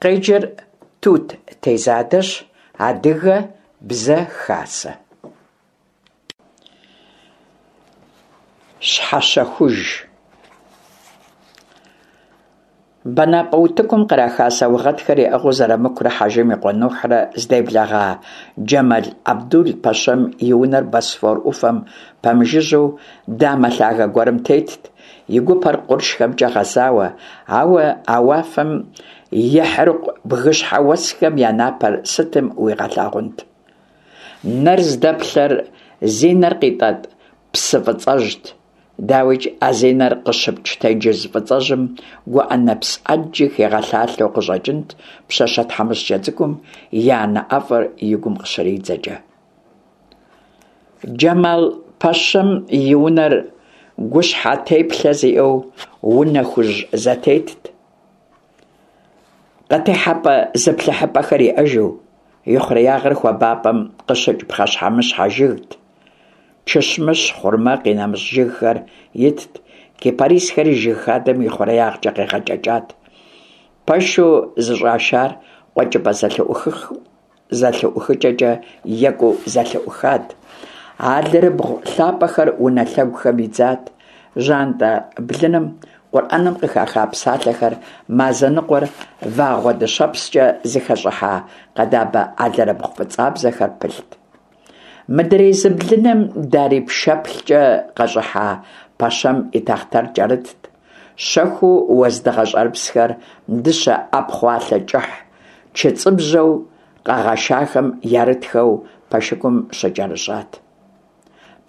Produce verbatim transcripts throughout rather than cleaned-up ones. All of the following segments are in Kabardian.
Къеджэр Тут Тезадэщ, Адыгэ Бзэ Хасэ. Щхьэщэхуж. Бэнапӏэ утыкум къраха саугъэтхэр яӏыгъыу Зэрамыкурэ Хьэжым и къуэ Нухьрэ здеблэгъа Джэмал Абдул-пэщэм и унэр Босфор ӏуфэм пэмыжыжьэу дамэ лъагэ гуэрым тетт, и гупэр къуршхэмкӏэ гъэзауэ, ауэ а уафэм ехьырыкъу бгыщхьэ уэсхэм я напэр сытым уигъэлъагъунт? Нэр здэплъэр зи нэр къитӏэтӏ псы фӏыцӏэжьт. Дауикӏ, а зи нэр къыщыпкӏ тенджыз фӏыцӏэжьым гуӏэ нэпс ӏэджи хигъэлъалъэу къыщӏэкӏынт пщащэ тхьэмыщкӏэ цӏыкӏум и анэ ӏэфӏыр и гум къыщридзэкӏэ. Джэмал пэщэм и унэр гущхьэ теплъэ зиӏэу унэ хужь зэтетт. Къытехьэпӏэ зыплъыхьыпӏэхэр иӏэжу, и хъуреягъыр хуабапӏэм къыщыкӏ пхъэщхьэмыщхьэ жыгт. Чыщмыщ, хъурмэ, къинэмыщӏ жыгхэр итт, кипарисхэри жыг хадэм и хъуреягъкӏэ къегъэкӏэкӏат. Пэшу зыщӏашар къуэкӏыпӏэ зэлъыӏухыкӏэкӏэ екӏуу зэлъыӏухат. Алэрыбгъу лъапӏэхэр унэ лъэгухэм идзат. Жьантӏэ блыным Къурӏэным къыхаха псалъэхэр, мазэ ныкъуэр, вагъуэ дыщэпскӏэ зыхэщӏыхьа къэдабэ алэрыбгъу фӏыцӏабзэхэр пылът. Мыдрей зы блыным дарий пшэплъкӏэ къэщӏыхьа пэщэм и тахътэр кӏэрытт. Щэхуу уэздыгъэ щӏэрыпсхэр дыщэ ӏэпхъуалъэ кӏыхь чыцӏыбжьэу къэгъэшахэм ярытхэу пэшыкум щыкӏэрыщӏат.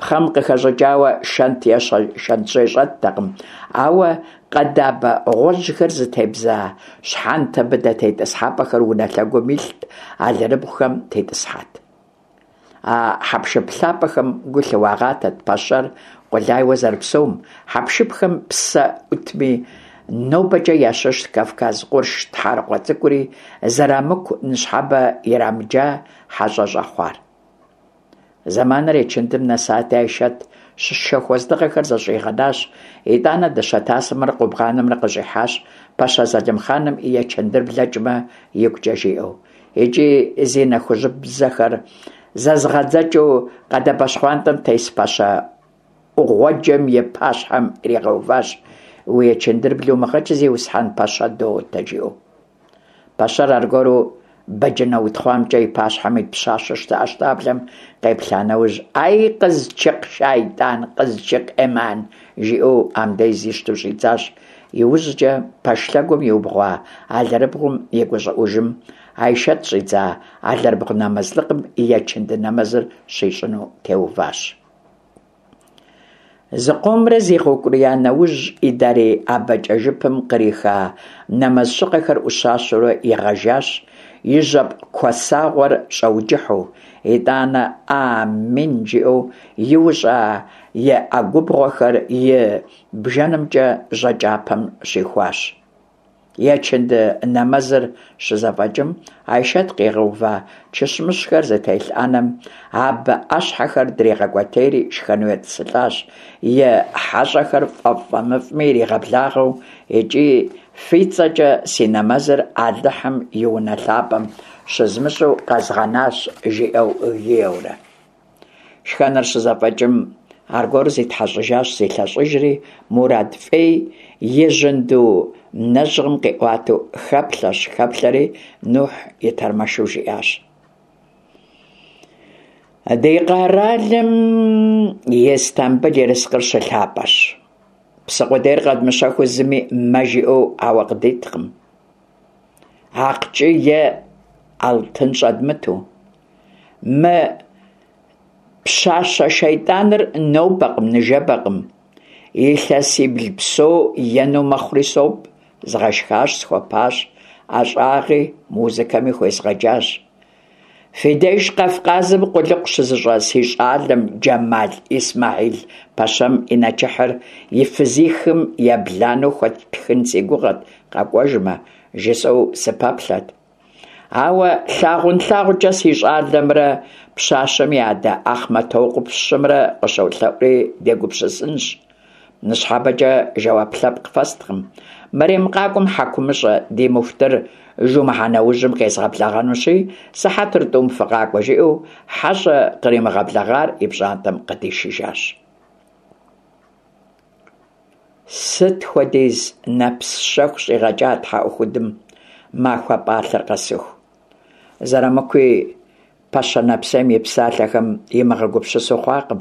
Пхъэм къыхэщӏыкӏауэ шэнт е шэнтжьей щӏэттэкъым, ауэ къэдабэ гъуэжьхэр зытебза щхьэнтэ быдэ тетӏысхьэпӏэхэр унэ лъэгум илът, алэрыбгъухэм тетӏысхьэт. А хьэпшып лъапӏэхэм гу лъыуагъатэт пэщэр къулайуэ зэрыпсэум, хьэпшыпхэм псэ ӏутми, нобэкӏэ ящыщт Кавказ къурш тхьэрыкъуэ цӏыкӏури Зэрамыку ныщхьэбэ ирамыджа хьэщӏэ щӏэхъуар. Зэманыр ечындым нэсати, Айшэт шэху уэздыгъэхэр зэщӏигъэнащ, итӏанэ дыщэ тасымрэ къубгъанымрэ къыщӏихьащ, пэщэ Залымхъаным и ечындыр блэкӏмэ игукӏэ жиӏэу. Икӏи зи нэ хужьыбзэхэр зэзгъэдзэкӏыу къэдабэ щхъуантӏэм тес пэщэ ӏугъуэджэм и пащхьэм иригъэуващ: «Уи ечындыр блумыгъэкӏ, зиусхьэн пэщэ дотэ», жиӏэу. Пэщэр аргуэру бэджынэ утхъуамкӏэ и пащхьэм ит пщащэ щтэӏэщтаблэм къеплъа нэужь, «Ай, къызчыкъ шайтӏан, къызчыкъ ӏиман», жиӏэу амдез ищту щӏидзащ. Иужькӏэ пэш лъэгум иубгъуа алэрыбгъум и гущӏыӏужым Айшэт щӏидза алэрыбгъу нэмэзлыкъым ечынды нэмэзыр щищӏыну теуващ. Зыкъомрэ зигъэукӏурия нэужь, и дарий абэкӏэ жыпым къриха нэмэз щыгъэхэр ӏущащэурэ игъэжащ, и жьэпкъ куэсагъуэр щӏэуджыхьу. Итӏанэ «Амин» жиӏэу иущӏа и ӏэгубгъуэхэр и бжэнымкӏэ жьакӏэпэм щихуащ. Ечынды нэмэзыр щызэфӏэкӏым, Айшэт къигъэува чыщмыщхэр зытелъ ӏэнэм абы ӏэщхьэхэр дригъэкӏуэтейри шхэну етӏысылӏащ, и хьэщӏэхэр фӏэфӏ-фӏэмыфӏми иригъэблагъэу икӏи «Фи цӏэкӏэ си нэмэзыр Алыхьым и унэ лъапӏэм щызмыщӏу къэзгъэнащ», жиӏэу гиеурэ. Шхэныр щызэфӏэкӏым, аргуэру зитхьэщӏыжащ, зилъэщӏыжри, мурад фӏей и жьэнду нэжьгъым къиӏуатэу хэплъэщ-хэплъэри, Нухь и тэрмэшу жиӏащ: «Ди къэралым Истамбыл ерыскъыр щылъапӏэщ. Псы къудейр къэдмыщэхуу зыми мэ жиӏэу ауэ къыдиткъым. Акъчы е алтын щӏэдмыту. Мы пщащэ шейтӏаныр нобэкъым, ныжэбэкъым. Илъэсибл псо ену мэхъури сопӏ, згъэшхащ, схуэпащ, ӏэщӏагъи музыкэми хуезгъэджащ. Фи деж Кавказым къулыкъу щызыщӏэ си щӏалэм Джэмал Исмэхьил пэщэм и нэчыхьыр и фызихым ебланэу хуэттхын си гугъэт къэкӏуэжмэ, жысӏэу сыпэплъэт. Ауэ лъагъунлъагъукӏэ си щӏалэмрэ пщащэм и адэ Ахъмэтокъупщымрэ къыщолъэӏури дегупсысынщ. Ныщхьэбэкӏэ жэуап лъэпкъ фэсткъым. Мэрем къакӏуэм хьэкумыщӏэ ди муфтыр жумыхьэ нэужьым къезгъэблэгъэнущи, сыхьэтыр тӏум фыкъакӏуэ, жиӏэу хьэщӏэ къримыгъэблэгъар и пщӏантӏэм къыдишыжащ. Сыт хуэдиз нэпс щэху щӏигъэкӏа тхьэӏухудым махуэ пӏалъэр къэсыху. Зэрамыкуи пэщэ нэпсейм и псалъэхэм имыгъэгупсысу хъуакъым.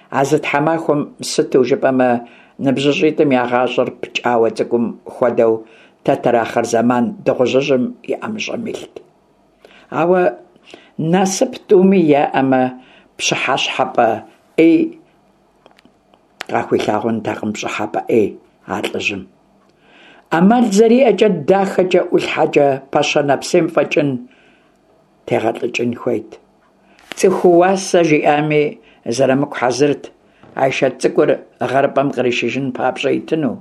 А зы тхьэмахуэм, сыту жыпӏэмэ, ныбжьыщӏитӏым я гъащӏэр пкӏауэ цӏыкӏум хуэдэу тэтэр ахъырзэман дыгъужьыжьым и ӏэмыщӏэм илът. Ауэ насып тӏуми яӏэмэ, пщыхьэщхьэпӏэ ӏей къахуилъагъунтэкъым пщӏыхьэпӏэ ӏей а лӏыжьым. Ӏэмал зэриӏэкӏэ дахэкӏэ ӏулъхьэкӏэ пэщэ нэпсейм фӏэкӏын тегъэлӏыкӏын хуейт. Цӏыху уасэ жиӏами, Зэрамыку хьэзырт Айшэт цӏыкӏур гъэрыпӏэм къришыжын папщӏэ итыну,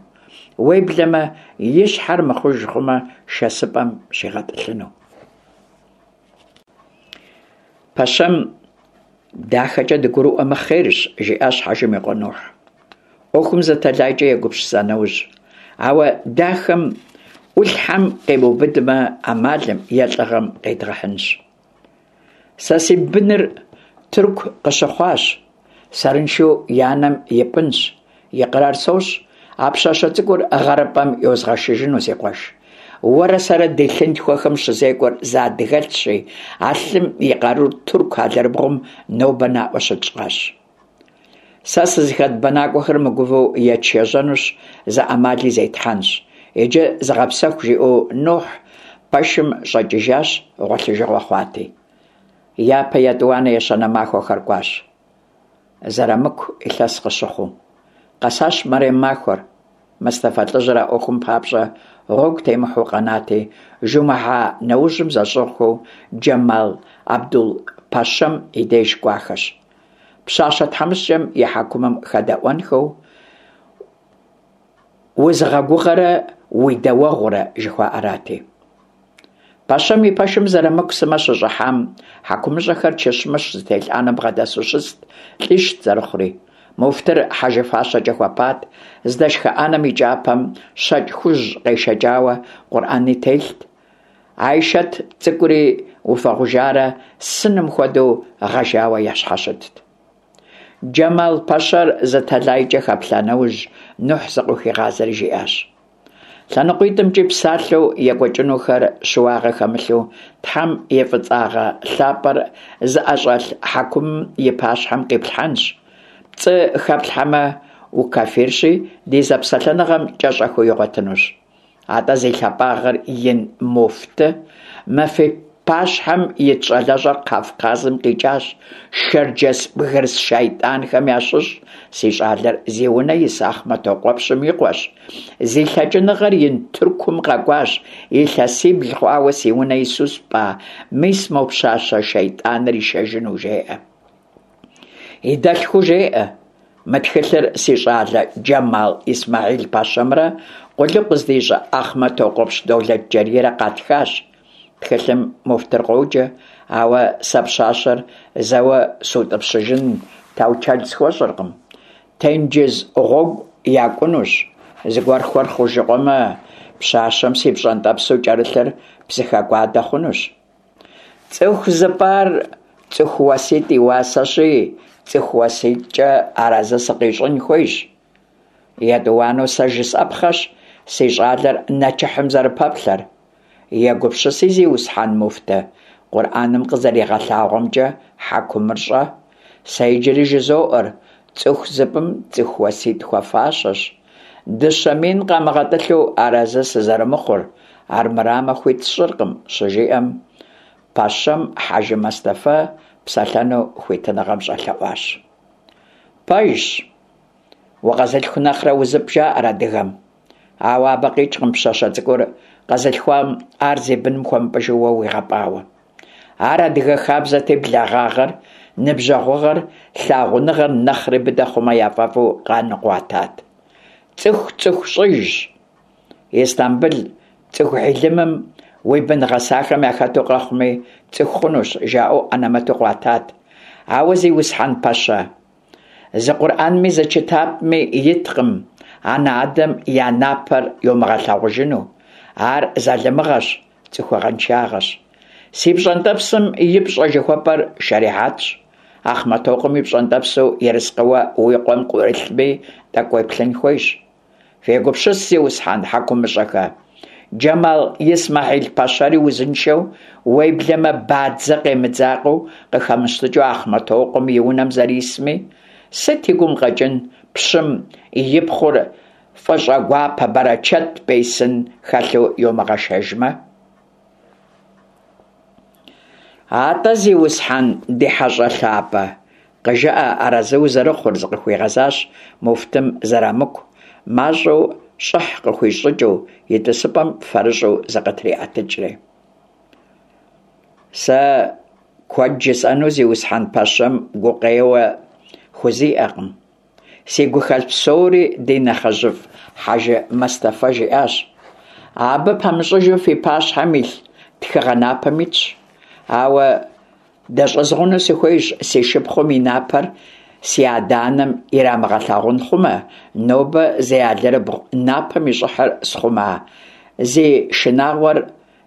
уеблэмэ и щхьэр мыхъуж хъумэ, шэсыпӏэм щигъэтӏылъыну. Пэщэм дахэкӏэ дыгурыӏуэмэ хъерщ, жиӏащ Хьэжым и къуэ Нухь. Ӏуэхум зы тэлайкӏэ егупсыса нэужь. Ауэ дахэм ӏулъхьэм къимыубыдмэ, ӏэмалым е лӏыгъэм къедгъэхьынщ. Сэ си быныр Тырку къыщыхъуащ, сэрыншэу и анэм ипӏынщ, икърар сощӏ, а пщащэ цӏыкӏур гъэрыпӏэм йозгъэшыжыну, си къуэш. Уэрэ сэрэ ди лъынтхуэхэм щызекӏуэр зы адыгэлъщи, а лъым и къарур тырку алэрыбгъум нобэ наӏуэ щытщӏащ. Сэ сызыхэт бэнакӏуэхэр мыгувэу етшэжьэнущ, зы ӏэмали зетхьэнщ. Иджы зыгъэпсэху, жиӏэу Нухь пэшым щӏэкӏыжащ, гъуэлъыжыгъуэ хъуати. Япэ, етӏуанэ, ещанэ махуэхэр кӏуащ. Зэрамыку илъэс къыщыхъуу. Къэсащ мэрем махуэр. Мыстафэ лӏыжьыр а ӏуэхум папщӏэ гъуэгу темыхьэу къэнати, жумыхьэ нэужьым зэщӏыгъухэу Джэмал Абдул-пэщэм и деж кӏуахэщ. Пщащэ тхьэмыщкӏэм и хьэкумым хэдэӏуэнхэу узыгъэгугъэрэ уи дэуэгъурэ жыхуаӏэрати. Пэщэм и пэшым Зэрамыку сымэ щыщӏыхьам, хьэкумыщӏэхэр чэщмыщ зытелъ ӏэнэм бгъэдэсу щыст, лӏищт зэрыхъури. Муфтыр хьэжы фащэкӏэ хуэпат, здэшхэ ӏэнэм и кӏапэм щэкӏ хужь къешэкӏауэ Къурӏэни телът. Айшэт цӏыкӏури уфэгъужарэ сыным хуэдэу гъэжауэ ящхьэщытт. Джэмал пэщэр зы тэлайкӏэ хэплъа нэужь, Нухь зыкъыхуигъазэри жиӏащ. ЛъэныкъуитӀымкӀи псалъэу екӀуэкӀынухэр щыуагъэ хэмылъу Тхьэм и фӀыцӀагъэ лъапӀэр зыӀэщӀэлъ хьэкумым и пащхьэм къиплъхьэнщ. ПцӀы хэплъхьэмэ, укафирщи, ди зэпсэлъэныгъэм кӀэщӀэхыу игъуэтынущ. АтӀэ зи лъапӀагъэр ин муфты, мы фи пащхьэм ит щӀалэщӀэр Кавказым къикӀащ, шэрджэс бгырыс шайтӀанхэм ящыщ, си щӀалэр зи унэ ис Ахъмэтокъуэпщым и къуэщ. Зи лъэкӀыныгъэр ин Тыркум къэкӀуащ, илъэсибл хъуауэ си унэ ису спӀа, мис мо пщащэ шайтӀаныр ишэжыну, жеӀэ. И дэлъхуу жеӀэ. Мы тхылъыр си щӀалэ Джэмал Исмэхьил пэщэмрэ къулыкъу здищӀэ Ахъмэтокъуэпщ Долэтджэрийрэ къатхащ. Тхылъым муфтыр къоджэ, ауэ сэ пщащэр зэуэ сутӀыпщыжын таучэл схуэщӀыркъым. Тенджыз гъуэгу якӀунущ, зыгуэрхэр хъужыкъуэмэ, пщащэм си пщӀэнтӀэпсу кӀэрылъыр псыхэкӀуадэ хъунущ. ЦӀыху зыпӀар цӀыху уаситӀ и уасэщи, цӀыху уаситӀкӀэ арэзы сыкъищӀын хуейщ. ЕтӀуанэу сэ жысӀэпхъэщ си щӀалэр нэчыхьым зэрыпэплъэр. Егупсыси, зиусхьэн муфты, КъурӀэным къызэригъэлъагъуэмкӀэ хьэкумыр щӀэ. Сэ иджыри жызоӀэр, цӀыху зыпӀым цӀыху уаситӀ хуэфащэщ. Дыщэ мин къамыгъэтӀылъу арэзы сызэрымыхъур, армырамэ хуит сщӀыркъым, щыжиӀэм, пэщэм Хьэжы Мэстэфэ псэлъэну хуитыныгъэм щӀэлъэӀуащ. Пэжщ, укъэзылъху нэхърэ узыпӀ, жаӀэр адыгэм. Ауэ абы къикӀкъым пщащэ цӀыкӀур къэзылъхуам ар зи быным хуэмыпӀыжу уэ уигъэпӀауэ. Ар адыгэ хабзэти, благъагъэр, ныбжьэгъугъэр, лъагъуныгъэр нэхъри быдэ хъумэ яфӀэфӀу къаныкъуатат. ЦӀыху цӀыху щӀыжщ. Истамбыл цӀыху хьилымым уи бын гъэсахэм яхэту къэхъуми, цӀыху хъунущ, жаӀэу анэмэту къуатат. Ауэ, зиусхьэн пэщэ, зы КъурӀэнми зы чытапми иткъым анэ-адэм я напэр йомыгъэлъагъужыну. Ар залымыгъэщ, цӏыхугъэншагъэщ. Си пщӏэнтӏэпсым и пщӏэ жыхуэпӏэр шэрихьэтщ. Ахъмэтокъуэм и пщӏэнтӏэпсу ерыскъыуэ уи къуэм ӏурылъми тӏэкӏу уеплъын хуейщ. Фегупсыс, зиусхьэн хьэкумыщӏэхэ! Джэмал Исмэхьил-пэщэри узыншэу, уеблэмэ бадзэ къемыдзакъэу къыхэмыщтыкӏыу Ахъмэтокъуэм и унэм зэрисми? Сыт и гум къэкӏын пщым и пхъур фӏыщӏэгуапэ бэрэчэт бейсын хэлъу йомыгъэшэжмэ? Атӏэ, зиусхьэн, ди хьэщӏэ лъапӏэ, къыжыӏэ арэзы узэрыхъур, - зыкъыхуигъэзащ муфтым Зэрамыку, мащӏэу щӏыхь къыхуищӏ щӏыкӏэу, и тӏысыпӏэм фэрыщӏу зыкъытриӏэтыкӏри. Сэ куэд жысӏэну зиусхьэн пэщэм гукъеуэ хузиӏэкъым. Си гухэлъ псори ди нэхъыжьыфӏ Хьэжы Мэстэфэ жиӏащ. Абы пэмыщӏыжу фи пащхьэм илъ тхыгъэ напэм итщ. Ауэ дэщӏызгъуну сыхуейщ си шыпхъум и напэр си адэ-анэм ирамыгъэлъагъун хъумэ, нобэ зи алэрыбгъу напэм и щӏыхьыр схъума, зи шынагъуэр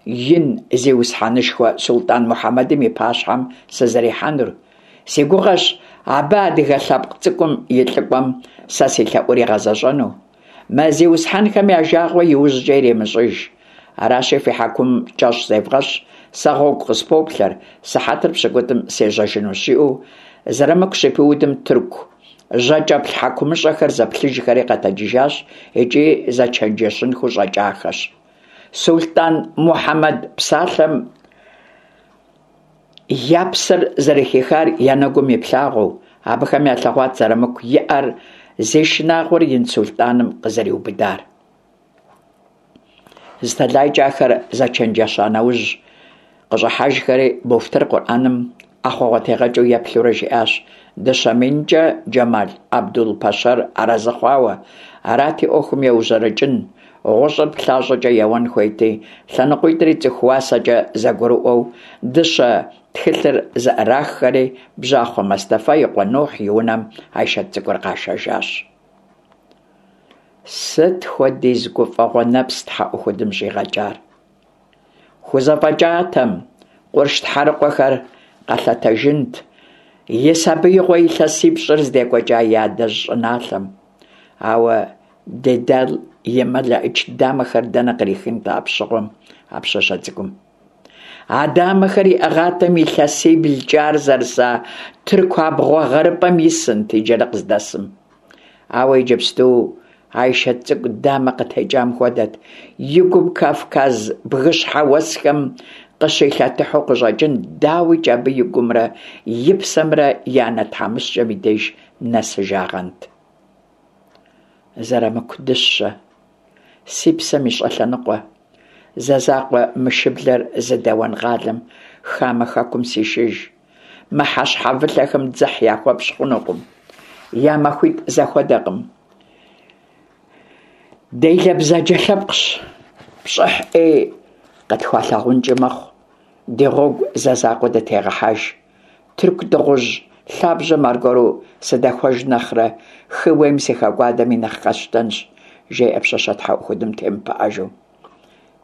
ин зиусхьэнышхуэ сулътӏан Мухьэмэдым и пащхьэм сызэрихьэнур. Си гугъэщ абы адыгэ лъэпкъ цӏыкӏум и лӏыкӏуэм сэ си лъэӏур игъэзэщӏэну. Мы зиусхьэнхэм я жагъуэ иужькӏэ иремыщӏыж. Аращи, фи хьэкумым кӏэщӏ зевгъэщӏ, сэ гъуэгу къыспоплъэр, сыхьэтыр пщыкӏутӏым сежьэжынущ, жиӏэу Зэрамыку щыпиудым тырку жьакӏэплъ хьэкумыщӏэхэр зэплъыжхэри къэтэджыжащ икӏи зэчэнджэщынхэу щӏэкӏахэщ. Сулътӏан Мухьэмэд псалъэм я псэр зэрыхихар я нэгум иплъагъуэу, абыхэм ялъэгъуат Зэрамыку и ӏэр зи шынагъуэр ин сулътӏаным къызэриубыдар. Зы тэлайкӏэ ахэр зэчэнджэща нэужь, къыщӏыхьэжхэри, муфтыр Къурӏэным ӏэхъуэгъуэтегъэкӏыу еплъурэ жиӏащ дыщэ минкӏэ Джэмал Абдул-пэщэр арэзы хъуауэ. Арати, ӏуэхум еужьэрэкӏын, гъущӏыр плащӏэкӏэ еуэн хуейти, лъэныкъуитӏри цӏыху уасэкӏэ зэгурыӏуэу дыщэ тхылъыр зэӏраххэри, бжьахъуэ Мэстэфэ и къуэ Нухь и унэм Айшэт цӏыкӏур къашэжащ. Сыт хуэдиз гуфӏэгъуэ нэпс тхьэӏухудым щӏигъэкӏар? Хузэфӏэкӏатэм, къурш тхьэрыкъуэхэр къэлъэтэжынт и сабиигъуэ илъэсипщӏыр здекӏуэкӏа и адэжь щӏыналъэм. Ауэ Дедал и мэлэӏич дамэхэр дэнэ кърихынт апщыгъуэм а пщащэ цӏыкӏум? А дамэхэр иӏыгъатэм илъэсиблкӏэ ар зэрыса тырку абгъуэ гъэрыпӏэм исынт иджыри къыздэсым. Ауэ иджыпсту Айшэт цӏыкӏу дамэ къытекӏам хуэдэт, и гум Кавказ бгыщхьэ уэсхэм къыщилъэтыхьу къыщӏэкӏын, дауикӏ абы и гумрэ и псэмрэ и анэ тхьэмыщкӏэм и деж нэсыжагъэнт. Зэрамыку дыщэ, си псэм и щӏэлъэныкъуэ, зэ закъуэ мы шыблэр зыдэуэн къалэм хамэ хэкум сишыж. Мы хьэщхьэвылъэхэм дзыхь яхуэпщӏ хъунукъым, я махуитӏ зэхуэдэкъым. Делэ бзаджэ лъэпкъщ, пщӏыхь ӏей къытхуалъагъункӏи мэхъу, ди гъуэгу зэ закъуэ дытегъэхьэж. Тырку дыгъужь лъабжьэм аргуэру сыдэхуэж нэхърэ, хы уейм сыхэкӏуадэми нэхъ къэсщтэнщ, жеӏэ пщащэ тхьэӏухудым темыпыӏэжу.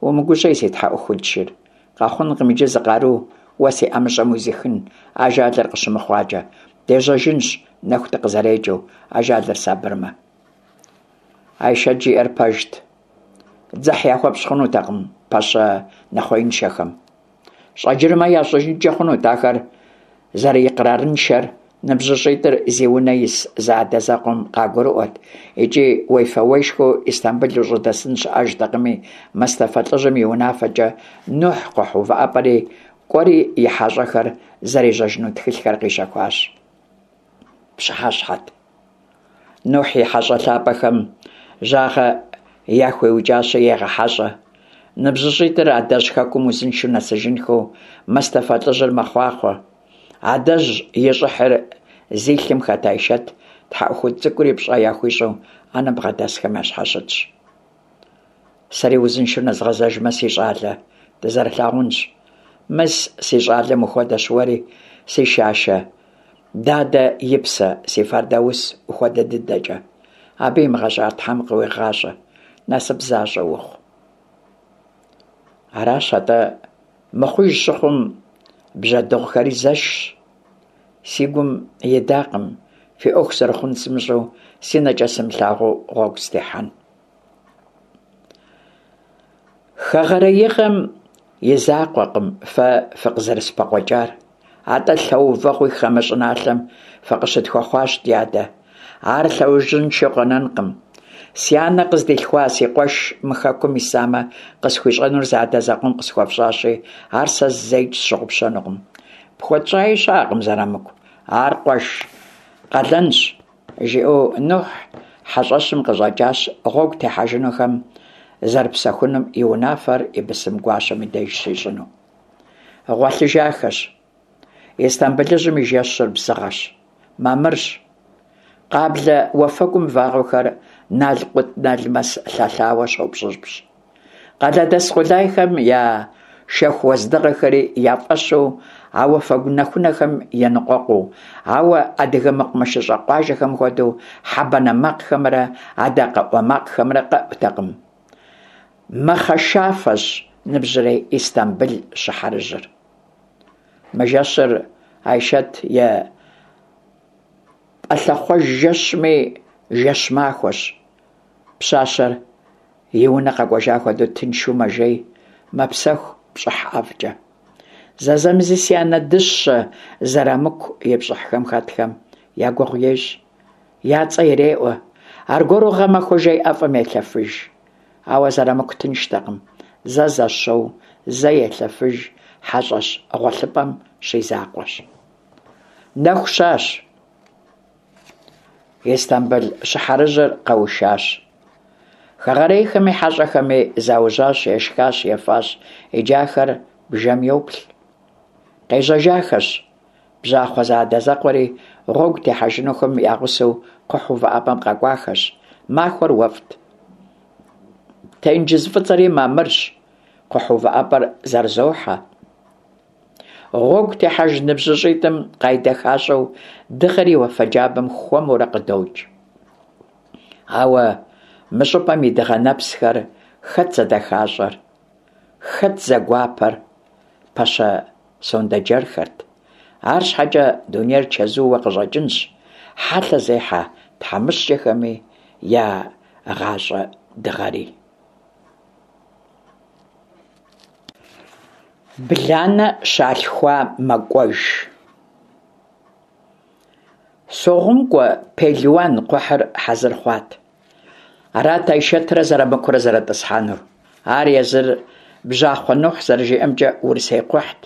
Умыгужьей, си тхьэӏухуд шыр, къэхъункъым иджы зы къару уэ си ӏэмыщӏэм уизыхын, ажалыр къыщымыхъуакӏэ. Дежьэжынщ, нэху дыкъызэрекӏыу, ажалыр сабырмэ. Айшэт жиӏэр пэжт. Дзыхь яхуэпщӏ хъунутэкъым пэщэ нэхъуеиншэхэм. Щӏэджырмэ ящӏыжынкӏэ хъунут ахэр зэрыикърарыншэр ныбжьыщӏитӏыр зи унэ ис зэадэзэкъуэм къагурыӏуэт икӏи уефэ-уешхэу Истамбыл ущӏыдэсын щыӏэжтэкъыми, Мэстэфэ лӏыжьым и унафэкӏэ Нухь кхъухь увыӏэпӏэри кӏуэри и хьэщӏэхэр зэрежьэжыну тхылъхэр къищэхуащ. Пщыхьэщхьэт. Нухь и хьэщӏэ лъапӏэхэм жьагъэ яхуиукӏащи егъэхьэщӏэ. Ныбжьыщӏитӏыр адэжь хэкум узыншэу нэсыжынхэу Мэстэфэ лӏыжьыр мэхъуахъуэ. Адэжь и щӏыхьыр зи лъым хэт Айшэт тхьэӏухуд цӏыкӏури пщӏэ яхуищӏу ӏэнэм бгъэдэсхэм ящхьэщытщ. Сэри узыншэу нэзгъэзэжмэ, си щӏалэ, дызэрылъагъунщ. Мыс, си щӏалэм ухуэдэщ уэри, си шашэ, дадэ и псэ, си Фэрдаус ухуэдэ дыдэкӏэ. Абы имыгъэщӏар Тхьэм къыуигъащӏэ, насып защӏэ ухъу. Аращ атӏэ, мыхъуж щыхъум, бжьэдыгъухэри зэшщ. Си гум идакъым фи ӏуэху зэрыхъун сымыщӏэу, си нэкӏэ сымылъагъуу гъуэгу сытехьэн. Хэгъэреигъэм и закъуэкъым фэ фыкъызэрыспыкъуэкӏар, атӏэ лъэувэгъуи хамэ щӏыналъэм фыкъыщытхуэхъуащ, ди адэ. Ар лъэужьыншэу къэнэнкъым. Си анэ къыздилъхуа си къуэш мы хэкум исамэ, къысхуищӏэнур зэадэзэкъуэм къысхуэфщӏащи, ар сэ зэикӏ сщыгъупщэнукъым. Пхуэтщӏаи щыӏэкъым, Зэрамыку. Ар къуэш къалэнщ, жиӏэу Нухь хьэщӏэщым къыщӏэкӏащ, гъуэгу техьэжынухэм зэрыпсэхунум и унафэр и бысым гуащэм и деж щищӏыну. Гъуэлъыжахэщ. Истамбылыжьым и жэщыр бзыгъэщ, мамырщ. Къаблэ уафэгум вагъуэхэр налкъутналмэс лъэлъауэ щопщӏыпщӏ. Къалэдэс къулайхэм я шэху уэздыгъэхэри я фӏэщу а уафэгу нэхунэхэм еныкъуэкъуу, ауэ адыгэ мэкъумэшыщӏэ къуажэхэм хуэдэу хьэ банэ макъхэмрэ адакъэ ӏуэ макъхэмрэ къэӏутэкъым. Мэхъэшафэщ ныбжьрей Истамбыл щыхьэрыжьыр. Мы жэщыр Айшэт и пӏалъэхъуэж жэщми, жэщ махуэщ. Пщащэр и унэ къэкӏуэжа хуэдэу тыншу мэжей, мэпсэху пщӏыхь ӏэфӏкӏэ. Зэзэмызи си анэ дыщэ Зэрамыку и пщӏыхьхэм хэтхэм я гугъу ещӏ, я цӏэ иреӏуэ. Аргуэру гъэмахуэ жей ӏэфӏым елъэфыж. Ауэ Зэрамыку тынштэкъым. Зэ зэщоу, зэ елъэфыж, хьэщӏэщ гъуэлъыпӏэм щизакъуэщ. Нэху щащ. Истамбыл щыхьэрыжьыр къэушащ. Хэгъэрейхэми хьэщӏэхэми заужьащ, ешхащ, ефащ, иджы ахэр бжэм йоплъ. Къежьэжахэщ. Бжьахъуэ зэадэзэкъуэри гъуэгу техьэжынухэм я гъусэу кхъухь увыӏэпӏэм къэкӏуахэщ. Махуэр уэфӏт. Тенджыз фӏыцӏэри мамырщ. Кхъухь увыӏэпӏэр зэрызохьэ. Гъуэгу техьэж ныбжьыщӏитӏым къайдэхащӏэу дыгъэри уафэ джабэм хуэмурэ къыдокӏ. Ауэ мы щӏыпӏэм и дыгъэ нэпсхэр хэт зэдэхащӏэр, хэт зэгуапэр? Пэщэ сондэджэрхэрт. Арщхьэкӏэ дунейр чэзууэ къыщӏэкӏынщ, хьэлъэ зехьэ тхьэмыщкӏэхэми я гъащӏэ дыгъэри. Бланэ щалъхуа мэкӏуэж. Согъум кӏуэ пелуан кхъухьыр хьэзыр хъуат. Арат Айшэтрэ Зэрамыкурэ зэрытӏысхьэнур. Ар езыр Бжьахъуэ Нухь зэрыжиӏэмкӏэ урысей кхъухьт.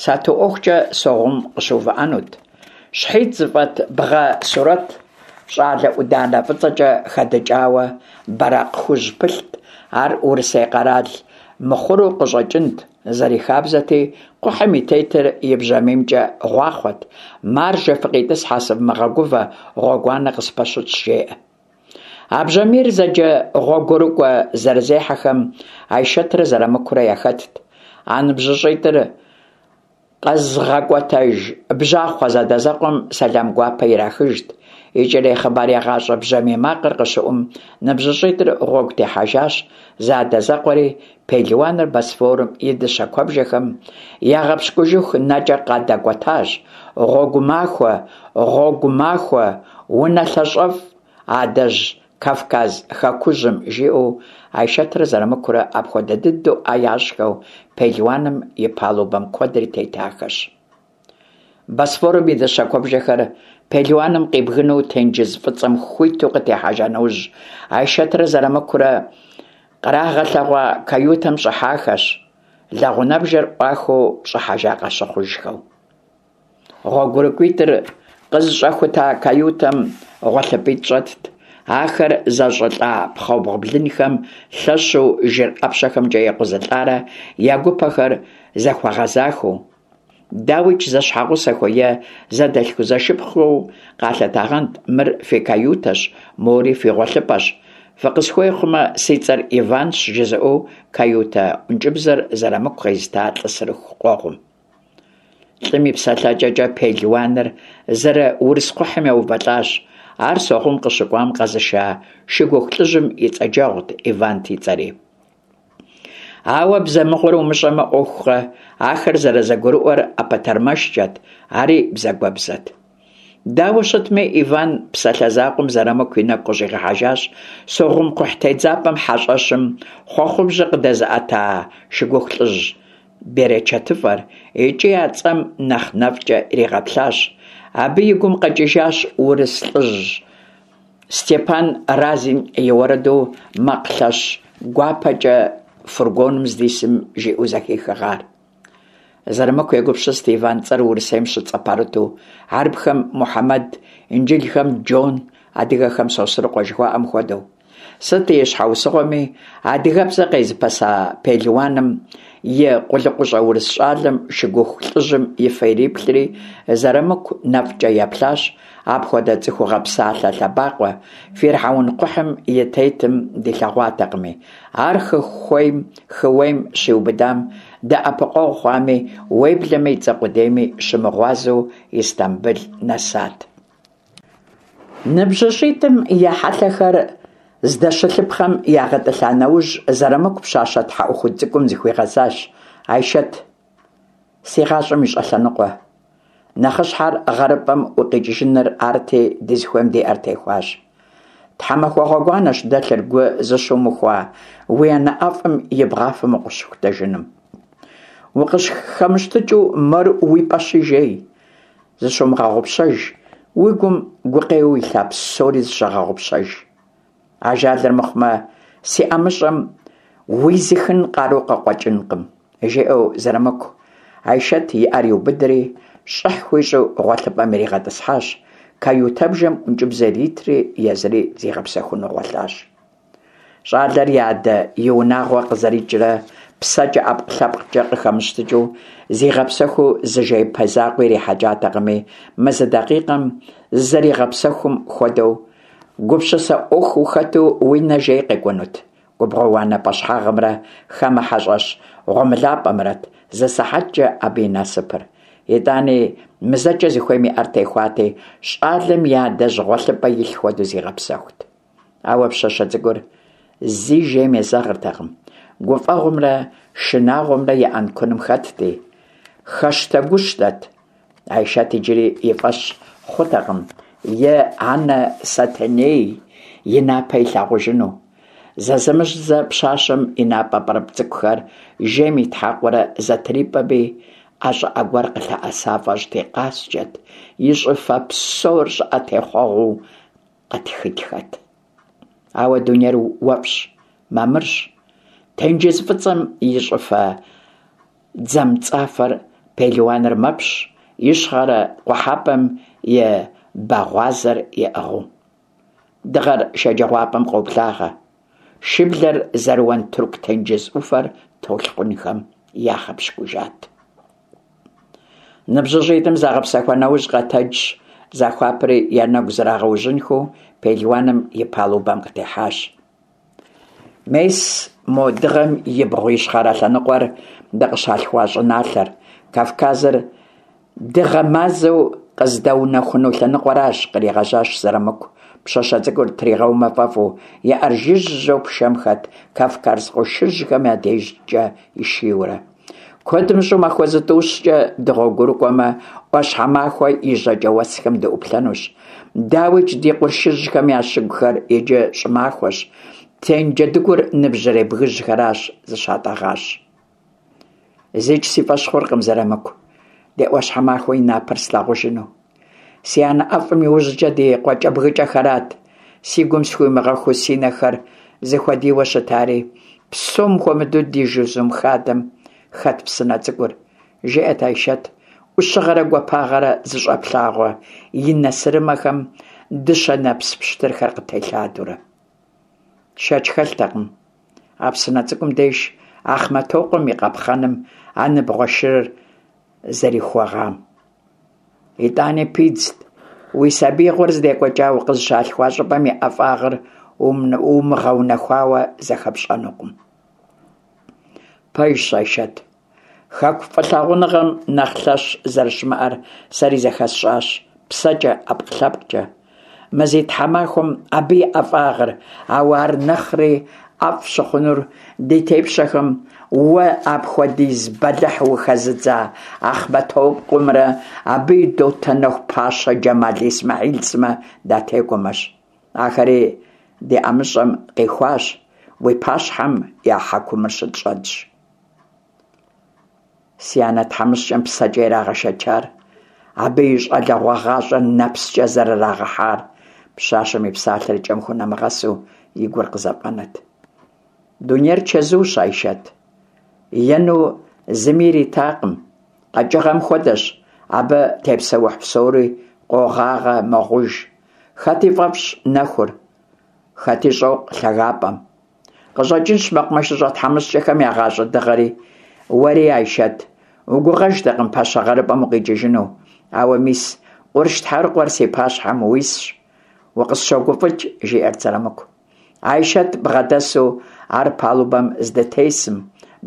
Сату ӏуэхукӏэ Согъум къыщыувыӏэнут. Щхьитӏ зыфӏэт бгъэ сурэт щӏалэ ӏуданэ фӏыцӏэкӏэ хэдыкӏауэ бэракъ хужь пылът. Ар урысей къэрал мыхъуру къыщӏэкӏынт. Зэрихабзэти, кхъухьым и тетыр и бжьамиймкӏэ гъуахъуэт: «Маржэ, фыкъитӏысхьэ, сывмыгъэгувэ, гъуэгуанэ къыспэщытщ», жеӏэ. А бжьамийр зэджэ гъуэгурыкӏуэ зэрызехьэхэм Айшэтрэ Зэрамыкурэ яхэтт. А ныбжьыщӏитӏыр къэзыгъэкӏуэтэж бжьахъуэ зэадэзэкъуэм сэлам гуапэ ирахыжт. Икӏэрей хъыбарегъащӏэ бжьамий макъыр къыщыӏум, ныбжьыщӏитӏыр гъуэгу техьэжащ, зэадэзэкъуэри пелуаныр Босфорым и дыщэ куэбжэхэм ягъэпщкӏужыху нэкӏэ къадэкӏуэтащ. Гъуэгу махуэ, гъуэгу махуэ, унэлъащӏэфӏ адэжь Кавказ хэкужьым, жиӏэу Айшэтрэ Зэрамыкурэ апхуэдэ дыдэу ӏэ ящӏхэу пелуаным и палубэм куэдрэ тетахэщ. Босфорым и дыщэ куэбжэхэр пелуаным къибгынэу тенджыз фӏыцӏэм хуиту къытехьэжа нэужь, Айшэтрэ Зэрамыкурэ кърагъэлъэгъуа каютэм щӏыхьахэщ, лэгъунэбжэр ӏуахыу щӏыхьэжа къащыхъужхэу. Гъуэгурыкӏуитӏыр къызыщӏэхута каютэм гъуэлъыпӏитӏ щӏэтт. Ахэр зэщӏылӏа пхъэбгъу блынхэм лъэщу жыр ӏэпщэхэмкӏэ екъузылӏарэ я гупэхэр зэхуэгъэзахэу. Дауикӏ, зэщхьэгъусэхэу е зэдэлъхузэшыпхъухэу къалъытагъэнт: мыр фи каютэщ, мори фи гъуэлъыпӏэщ, фыкъысхуей хъумэ, си цӏэр Иванщ, жызыӏэу каютэ ӏункӏыбзэр Зэрамыку къезыта лӏы сырыху къуэгъум. Лӏым и псэлъэкӏэкӏэ пелуаныр зэрыурыс кхъухьым еувэлӏащ. Ар Согъум къыщыкӏуам къэзыша шыгуху лӏыжьым и цӏэджэгъут, Ивант и цӏэри. Ауэ бзэ мыгъуэр умыщӏэмэ ӏуэхукъэ, ахэр зэрызэгурыӏуэр ӏэпэтэрмэшкӏэт, ари бзагуэбзэт. Дауэ щытми, Иван псалъэ закъуэм Зэрамыку и нэгу къыщӏигъэхьэжащ Согъум кхъухь тедзапӏэм хьэщӏэщым хъуэхъубжьэ къыдэзыӏэта шыгуху лӏыжь берычэтыфӏэр икӏи а цӏэм нэхъ нэфӏкӏэ иригъэплъащ. Абы и гум къэкӏыжащ урыс лӏыжь Степан Разин и уэрэду макъ лъэщ гуапэкӏэ фургоным здисым жиӏэу зэхихыгъар. Зэрамыку егупсыст Иван цӏэр Урысейм щыцӏэпэрыту, хьэрыпхэм Мухьэмэд, инджылхэм Джон, адыгэхэм Сосрыкъуэ жыхуаӏэм хуэдэу. Сыт и щхьэусыгъуэми, адыгэбзэ къезыпэса пелуаным и къулыкъущӏэ урыс щӏалэм шыгуху лӏыжьым и фэ ириплъри, Зэрамыку нэфӏкӏэ еплъащ, апхуэдэ цӏыхугъэ псалъэ лъэбакъуэ фирхьэун кхъухьым и тетым дилъэгъуатэкъыми, ар хы хыуейм щиубыдам дэӏэпыкъуэгъу хъуами, уеблэмэ и цӏэ къудейми щымыгъуазэу Истамбыл нэсат. НыбжьыщӀитӀым я хьэлъэхэр здэщылъыпхъэм ягъэтӏылъа нэужь, Зэрамыку пщащэ тхьэӏухуд цӏыкӏум зыхуигъэзащ: «Айшэт, си гъащӏэм и щӏэлъэныкъуэ. Нэхъыщхьэр гъэрыпӏэм укъикӏыжыныр арти, дызыхуейм ди ӏэр техуащ. Тхьэмахуэ гъуэгуанэщ дэлъыр гу зыщумыхуа уи анэ ӏэфӏым и бгъафэм укъыщыхутэжыным. Укъысхэмыщтыкӏыу мор уи пӏэщи жей, зыщумыгъэгъупщэж, уи гум гукъеуэу илъа псори зыщыгъэгъупщэж. Ажалыр мыхъумэ, си ӏэмыщӏэм уизыхын къару къыкъуэкӏынкъым», жиӏэу Зэрамыку Айшэт и ӏэр иубыдри, щӏыхь хуищӏу гъуэлъыпӏэм иригъэтӏысхьащ, каютэбжэм ӏункӏыбзэ иритри, езыри зигъэпсэхуну гъуэлъащ. Щӏалэр и адэ и унагъуэ къызэрикӏрэ псэкӏэ ӏэпкълъэпкъкӏэ къыхэмыщтыкӏыу зигъэпсэхуу зы жеипэ закъуи ирихьэкӏатэкъыми, мы зы дакъикъэм зызэригъэпсэхум хуэдэу, гупсысэ ӏуэху ухэту уи нэ жей къекӏунут. Губгъуэ уанэ пӏэщхьагъымрэ хамэ хьэщӏэщ гъуэмылапӏэмрэт зы сыхьэткӏэ абы и насыпыр. Итӏани, мызэкӏэ зыхуейм и ӏэр техуати, щӏалэм и адэжь гъуэлъыпӏэ илъ хуэдэу зигъэпсэхут. Ауэ пщащэ цӏыкӏур зи жейм езэгъыртэкъым, гуфӏэгъуэмрэ шынагъуэмрэ я ӏэнкуным хэтти, хэщтэгущтэт. Айшэт иджыри и фӏэщ хъутэкъым и анэ Сэтэней и напэ илъагъужыну. Зэзэмызэ пщащэм и напӏэ пӏырыпӏ цӏыкӏухэр жейм итхьэкъуурэ зэтрипӏэми, ӏэ щӏыӏэ гуэр къылъэӏэса фӏэщӏти къаскӏэт, и щӏыфэ псор щӏыӏэ техъуэгъуэу къытхытхэт. Ауэ дунейр уэфӏщ, мамырщ. Тенджыз фӏыцӏэм и щӏыфэ дзэмцӏафэр пелуаныр мэпщ, ищхъэрэ къухьэпӏэм и бэгъуазэр иӏыгъыу. Дыгъэр шэджагъуапӏэм къоблагъэ. Шыблэр зэрыуэн Тырку тенджыз ӏуфэр толъкъунхэм ягъэпщкӏужат. НыбжьыщӀитӀым загъэпсэхуа нэужь къэтэджщ, захуапэри я нэгу зрагъэужьынхэу пелуаным и палубэм къытехьащ. Мес мо дыгъэм ибгъу ищхъэрэ лъэныкъуэр дыкъыщалъхуа щӏыналъэр, Кавказыр дыгъэ-мазэу къыздэунэхуну лъэныкъуэращ, къригъэжьащ Зэрамыку, пщащэ цӏыкӏур тригъэумэ фӏэфӏу, и ӏэр жыжьэу пшэм хэт Кавказ къуршыжьхэм я дежкӏэ ишийурэ. Куэд мыщӏэу махуэ зытӏущкӏэ дыгъуэгурыкӏуэмэ, ӏуащхьэмахуэ и жьакӏэ уэсхэм дыӏуплъэнущ. Дауикӏ, ди къуршыжьхэм я щыгухэр иджы щӏымахуэщ, тенджэдыгур ныбжьэрей бгыжьхэращ зыщатӏэгъащ. Зикӏ си фӏэщ хъуркъым, Зэрамыку, ди ӏуащхьэмахуэ и напэр слъагъужыну. Си анэ ӏэфӏым иужькӏэ ди къуакӏэбгыкӏэхэрат си гум схуимыгъэхуу си нэхэр зыхуэдийуэ щытари, псом хуэмыдэу ди жызум хадэм хэт псынэ цӏыкӏур, жиӏэт Айшэт, ӏущыгъэрэ гуапагъэрэ зыщӏэплъагъуэ и нэ сырымэхэм дыщэ нэпс пщтырхэр къытелъадэурэ. Шэч хэлътэкъым, а псынэ цӏыкӏум деж Ахъмэтокъуэм и къапхъэным а ныбгъуэ шырыр зэрихуэгъам. Итӏани пидзт, уи сабиигъуэр здекӏуэкӏа укъызыщалъхуа щӏыпӏэм и ӏэфӏагъыр умыгъэунэхуауэ зэхэпщӏэнукъым. Пэжщ, Айшэт, хэку фӏылъагъуныгъэм нэхъ лъэщ зэрыщымыӏэр сэри зэхэсщӏащ псэкӏэ, ӏэпкълъэпкъкӏэ. мазитӏ тхьэмахуэм абы и ӏэфӏагъыр, ауэ ар нэхъри ӏэфӏ щыхъунур ди тепщэхэм уэ апхуэдиз бэлыхь ухэзыдза Ахъмэтокъуэмрэ абы и дотэнэху пащэ Джэмал Исмэхьил сымэ датекӏуэмэщ. Ахэри ди ӏэмыщӏэм къихуащ, уи пащхьэм я хьэкумыр щытщӏэтщ. Си анэ тхьэмыщкӏэм псэкӏэ ирагъэшэчар, абы и щӏалэгъуэ гъащӏэр нэпскӏэ зэрырагъэхьар, пщащэм и псалъэр и кӏэм хунэмыгъэсу и гур къызэфӏэнэт. Дунейр чэзущ, Айшэт. Ену зыми иритакъым. Къэкӏыгъэм хуэдэщ, абы тепсэухь псори къогъагъэ, мэгъуж. Хэти фӏэфӏщ нэхур, хэти щӏокъу лъагапӏэм. Къыщӏэкӏынщ мэкъумэшыщӏэ тхьэмыщкӏэхэм я гъащӏэ дыгъэри. Уэри, Айшэт, угугъэжтэкъым пащэ гъэрыпӏэм укъикӏыжыну. Ауэ мис, къурш тхьэрыкъуэр си пащхьэм уисщ, укъысщогуфӏыкӏ, жиӏэрт Зэрамыку. Айшэт бгъэдэсу ар палубэм здытесым,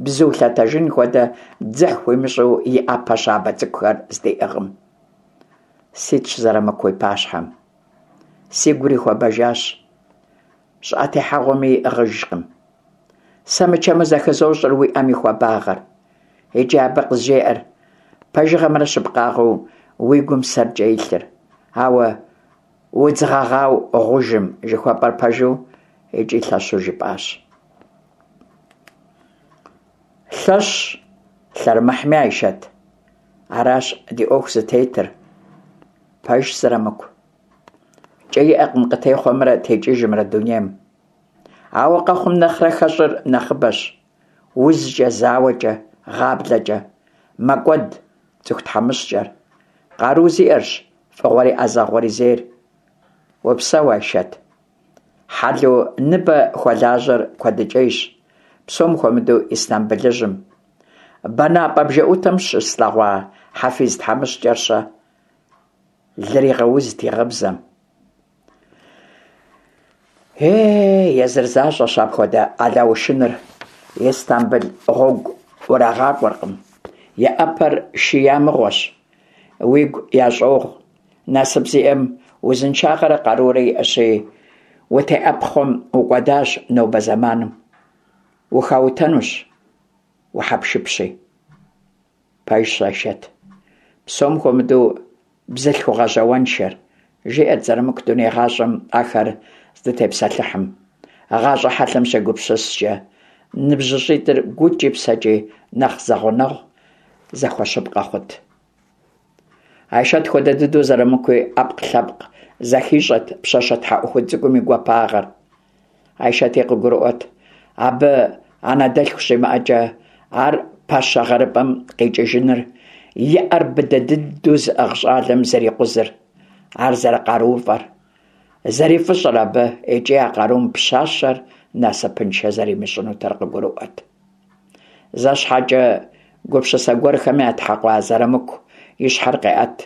бзу лъэтэжын хуэдэ дзыхь хуимыщӏу и ӏэпэ щабэ цӏыкӏухэр здиӏыгъым. Ситщ Зэрамыку уи пащхьэм. Сигури хуэбэжащ, щӏыӏэ техьэгъуэми иӏыгъыжкъым. Сэ мычэму зэхызощӏэр уи ӏэм и хуабагъэр. Икӏи абы къызжеӏэр пэжыгъэмрэ щыпкъагъэу уи гум сэркӏэ илъыр. Ауэ удз гъэгъау гъужым жыхуэпӏэр пэжу икӏи лъэщу жыпӏащ. Лъэщ лъэрымыхьми, Айшэт. Аращ ди ӏуэху зытетыр. Пэжщ, Зэрамыку. Кӏэ иӏэкъым къытехъуэмрэ текӏыжымрэ дунейм. Ауэ къэхъум нэхърэ хэщӏыр нэхъыбэщ. Узкӏэ, зауэкӏэ, гъаблэкӏэ мэкӏуэд цӏыху тхьэмыщкӏэр. Къару зиӏэрщ фӏыгъуэри ӏэзэгъуэри зейр. Упсэу, Айшэт. Хьэлу ныбэ хуэлажьэр куэдыкӏейщ, псом хуэмыдэу Истамбылыжьым. Бэнапӏэ бжэӏутэм щыслъэгъуа Хьэфиз тхьэмыщкӏэр-щэ? Лыр игъэузт и гъыбзэм. Е, езыр защӏэщ апхуэдэ алаушыныр. Истамбыл гъуэгу урагъакӏуэркъым. И ӏэпэр шия мыгъуэщ. Уигу ящӏогъу. Насып зиӏэм узыншагъэрэ къарурэ иӏэщи, утеӏэпхъуэм укӏуэдащ нобэ зэманым. Ухаутэнущ, ухьэпшыпщи. Пэжщ, Айшэт. Псом хуэмыдэу бзылъхугъэ жьауэншэр, жиӏэрт Зэрамыку дуней гъащӏэм ахэр здытепсэлъыхьым. Гъащӏэ хьэлъэм щегупсыскӏэ, ныбжьыщӏитӏыр гукӏи псэкӏи нэхъ зэгъунэгъу зэхуэщыпкъэ хъут. Айшэт хуэдэ дыдэу Зэрамыкуи ӏэпкълъэпкъ зэхищӏэт пщащэ тхьэӏухуд цӏыкӏум и гуапагъэр. Айшэти къыгурыӏуэт, абы анэдэлъху щимыӏэкӏэ ар пащэ гъэрыпӏэм къикӏыжыныр, и ӏэр быдэ дыдэу зыӏыгъ щӏалэм зэрикъузыр, ар зэрыкъарууфӏэр, зэрифӏыщӏэр абы икӏи а къарум пщащэр насыпыншэ зэримыщӏынутэр къыгурыӏуэт. Зэ щхьэкӏэ гупсысэ гуэрхэм ятхьэкъуа Зэрамыку и щхьэр къеӏэт,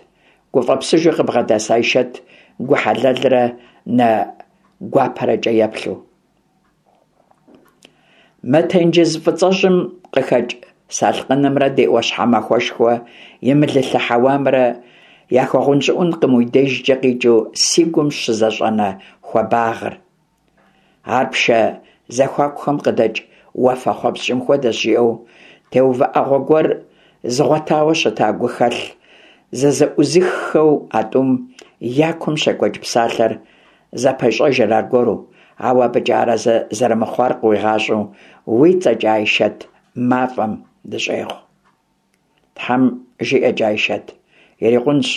гуфӏэпсыжу къыбгъэдэс Айшэт гу хьэлэлрэ нэ гуапэрэкӏэ еплъу. Мы тенджыз фӏыцӏэжьым къыхэкӏ салъкъынымрэ ди ӏуащхьэмахуэшхуэ и мылылъэ хьэуамрэ яхуэгъунщӏыӏункъым уи дежкӏэ къикӏыу си гум щызэщӏэнэ хуабагъыр. Ар пшэ зэхуакухэм къыдэкӏ уафэхъуэпскӏым хуэдэщ, жиӏэу теувыӏэгъуэ гуэр зыгъуэтауэ щыта гухэлъ зызэӏузыххэу а тӏум я кум щекӏуэкӏ псалъэр зэпещӏэжыр аргуэру, ауэ абыкӏэ арэзы зэрымыхъуар къыуигъащӏэу уи цӏэкӏэ Айшэт мафӏэм дыщӏегъу. Тхьэм жиӏэкӏэ, Айшэт, ирикъунщ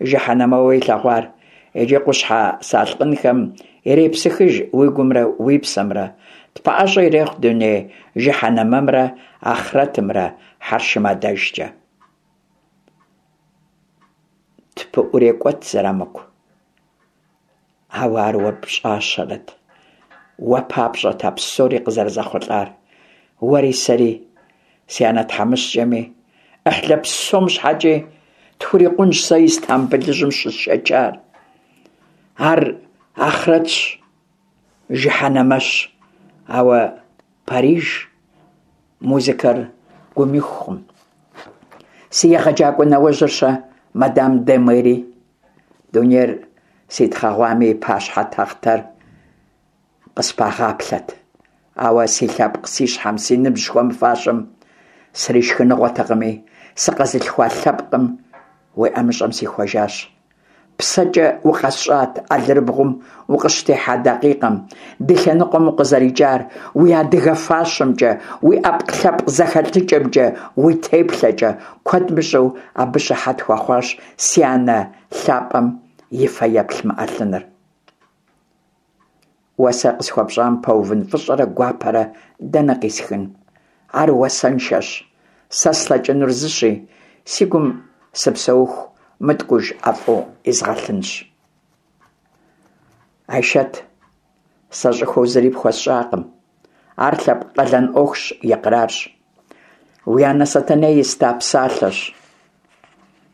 жыхьэнэмэуэ илъэгъуар, иджы къущхьэ салъкъынхэм ирепсыхыж уи гумрэ уи псэмрэ, тпэӏэщӏэ ирехъу дуней жыхьэнэмэмрэ ахърэтымрэ хьэршым адэжкӏэ. Тпыӏурекӏуэт, Зэрамыку. Ауэ ар уэ пщӏащэрэт, уэ папщӏэт а псори къызэрызэхъулӏар. Уэри сэри, си анэ тхьэмыщкӏэми, ӏыхьлы псом щхьэкӏи тхурикъунщ сэ Истамбылыжьым щысшэчар. Ар ахърэтщ, жыхьэнэмэщ, ауэ Париж музыкэр гум ихукъым. Си егъэджакӏуэ нэужьыр-щэ, мадам де Мери? Дунейр Ситхъэгъуами, и пащхьэ тахътэр къыспагъаплъэт. Ауэ си лъэпкъ, си щхьэм, си ныбжь хуэмыфащэм сришхыныгъуэтэкъыми, сыкъэзылъхуа лъэпкъым уи ӀэмыщӀэм сихуэжащ. ПсэкӀэ укъэсщӀат алэрыбгъум укъыщытехьа дакъикъэм, ди лъэныкъуэм укъызэрикӀар, уи адыгэ фащэмкӀэ, уи Ӏэпкълъэпкъ зэхэлъыкӀэмкӀэ, уи теплъэкӀэ. Куэд мыщӀэу абы щыхьэт хуэхъуащ си анэ лъапӀэм и фэеплъ мы Ӏэлъыныр. Уэ сэ къысхуэпщӀам пэувын фӀыщӀэрэ гуапэрэ дэнэ къисхын? Ар уасэншэщ. Сэ слъэкӀынур зыщи, си гум сыпсэуху мыткӀуж ӀэфӀу изгъэлъынщ. Айшэт, сэ щӀыхуэу зыри пхуэсщӀакъым. Ар лъэпкъ къалэн Ӏуэхущ, икърарщ. Уи анэ Сэтэней еста псалъэщ.